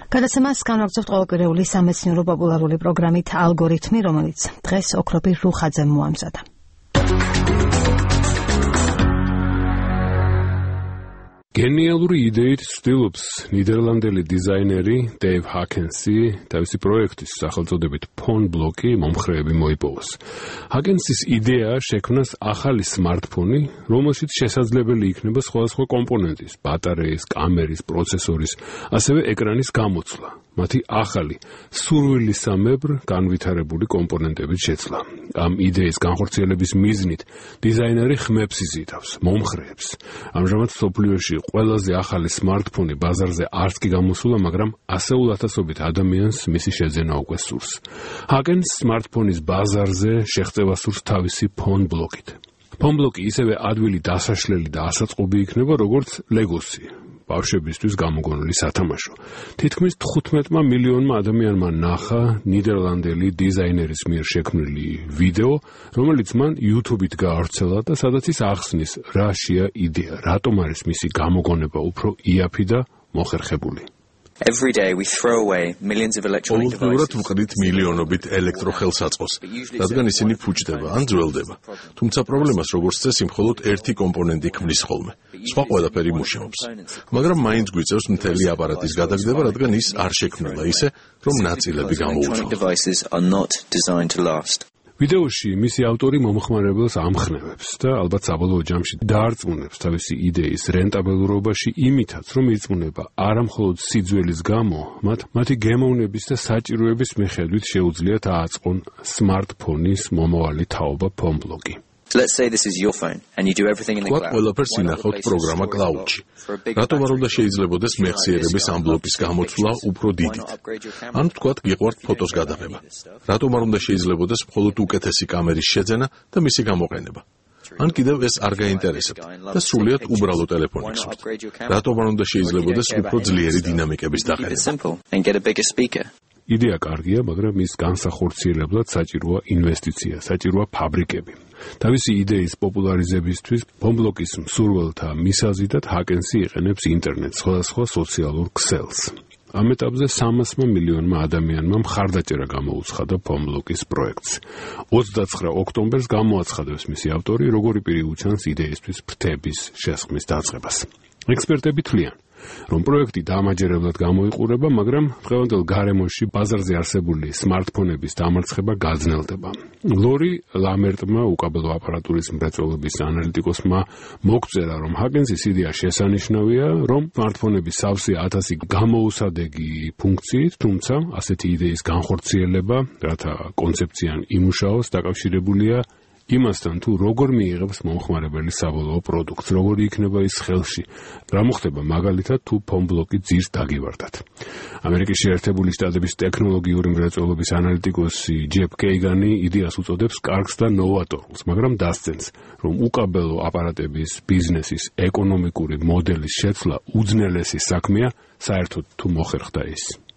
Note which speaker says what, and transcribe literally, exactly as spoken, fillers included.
Speaker 1: გადაცემას განვაგრძობთ ყოველკვირეული სამეცნიერო პოპულარული პროგრამით ალგორითმი, რომელიც დღეს ოქროპირ რუხაძემ მოამზადა.
Speaker 2: გენიალური იდეით ცდილობს ნიდერლანდელი დიზაინერი დეივ ჰაკენსი თავისი პროექტის სახელწოდებით ფონ ბლოკი მომხრეები მოიპოვოს. ჰაკენსის იდეაა შექმნას ახალი სმარტფონი, რომელშიც შესაძლებელი იქნება სხვადასხვა კომპონენტის, ბატარეის, კამერის, პროცესორის, ასევე ეკრანის გამოცვლა. მათი ახალი, სურვილისამებრ განვითარებული კომპონენტებით შეცვლა. ამ იდეის განხორციელების მიზნით დიზაინერი ხმებს იზიდავს, მომხრეებს. ამჟამად მსოფლიოში ყველაზე ახალი სმარტფონი ბაზარზე არც კი გამოსულა, მაგრამ ასეულ ათასობით ადამიანს მისი შეძენა უკვე სურს. ჰაკენს სმარტფონის ბაზარზე შეღწევა სურს თავისი ფონ ბლოკით. ფონ ბლოკი ისევე ადვილი დასაშლელი და ასაწყობი იქნება, როგორც ლეგოსი. ბავშვებისთვის გამოგონილი სათამაშო. თითქმის თხუთმეტმა მილიონმა ადამიანმა ნახა ნიდერლანდელი დიზაინერის მიერ შექმნილი ვიდეო, რომელიც მან YouTube-ით გაავრცელა და სადაც ის ახსნის, რა შეა იდეა, რატომ არის მისი გამოგონება უფრო იაფი და მოხერხებული.
Speaker 3: Every day we throw away millions of electronic devices.
Speaker 4: ყოველდღიურად ვყიდით მილიონობით ელექტროხელსაწყოს, რადგან ისინი ფუჭდება ან ძველდება. თუმცა პრობლემას როგორც წესი მხოლოდ ერთი კომპონენტი ქმნის ხოლმე. სხვა ყველაფერი მუშაობს. მაგრამ მაინც გვიწევს მთელი აპარატის გადაგდება, რადგან ის არ შექმნილა ისე, რომ ნაწილები გამოუცვალოს. ვიდეოში მისი ავტორი მომხმარებელს ამხნევებს და ალბათ საბოლოო ჯამში დაარწმუნებს თავისი იდეის რენტაბელურობაში იმითაც, რომ ირწმუნება არა მხოლოდ სიძველის გამო, მათ მათი გემოვნების და საჭიროების მიხედვით შეუძლიათ ააწყონ სმარტფონის მომავალი თაობა ფონ ბლოკი.
Speaker 3: Let's say this is your phone and you do everything in the cloud.
Speaker 4: ყველაფერს ინახავთ პროგრამა cloud-ში. რატომ არ უნდა შეიძლებოდეს მეხსიერების ამ ბლოკის გამოცვლა უფრო დიდით? ან ვთქვათ, გიყვართ ფოტოს გადაღება. რატომ არ უნდა შეიძლებოდეს მხოლოდ უკეთესი კამერის შეძენა და მისი გამოყენება? ან კიდევ ეს არ გაინტერესებთ და სრულიად უბრალო ტელეფონი გსურთ. რატომ არ უნდა შეიძლებოდეს უფრო ძლიერი დინამიკების დაყენება?
Speaker 2: იდეა კარგია, მაგრამ ის განსახორციელებლად საჭიროა ინვესტიცია, საჭიროა ფაბრიკები. თავისი იდეის პოპულარიზებისთვის ფონ ბლოკის მსურველთა მისაზიდად ჰაკენსი იყენებს ინტერნეტს, სხვადასხვა სოციალურ ქსელს. ამ ეტაპზე სამასმა მილიონმა ადამიანმა მხარდაჭერა გამოუცხადა ფონ ბლოკის პროექტს. ოცდაცხრა ოქტომბერს გამოაცხადებს მისი ავტორი, როგორი პირი უჩანს იდეისთვის ფრთების შესხმის დაწყებას. ექსპერტები თვლიან, რომ პროექტი დამაჯერებლად გამოიყურება, მაგრამ დღევანდელ გარემოში ბაზარზე არსებული სმარტფონების დამარცხება გაძნელდება. ლორი ლამერტმა, უკაბელო აპარატურის მრეწველობის ანალიტიკოსმა, მოგწერა, რომ ჰაკენსის იდეა შესანიშნავია, რომ სმარტფონები სავსე ათასი გამოუსადეგი ფუნქციით, თუმცა ასეთი იდეის განხორციელება, რათა კონცეფციან იმუშაოს, დაკავშირებულია იმასთან, თუ როგორ მიიღებს მომხმარებელი საბოლოო პროდუქტს, როგორი იქნება ის ხელში, რა მოხდება მაგალითად, თუ ფონ ბლოკი ძირს დაგივარდათ. ამერიკის შეერთებული შტატების ტექნოლოგიური მრეწველობის ანალიტიკოსი ჯეფ კეიგანი იდეას უწოდებს კარგს და ნოვატორულს, მაგრამ დასცენს, რომ უკაბელო აპარატების ბიზნესის ეკონომიკური მოდელის შეცვლა უძნელესი საქმეა, საერთოდ თუ მოხერხდა ის.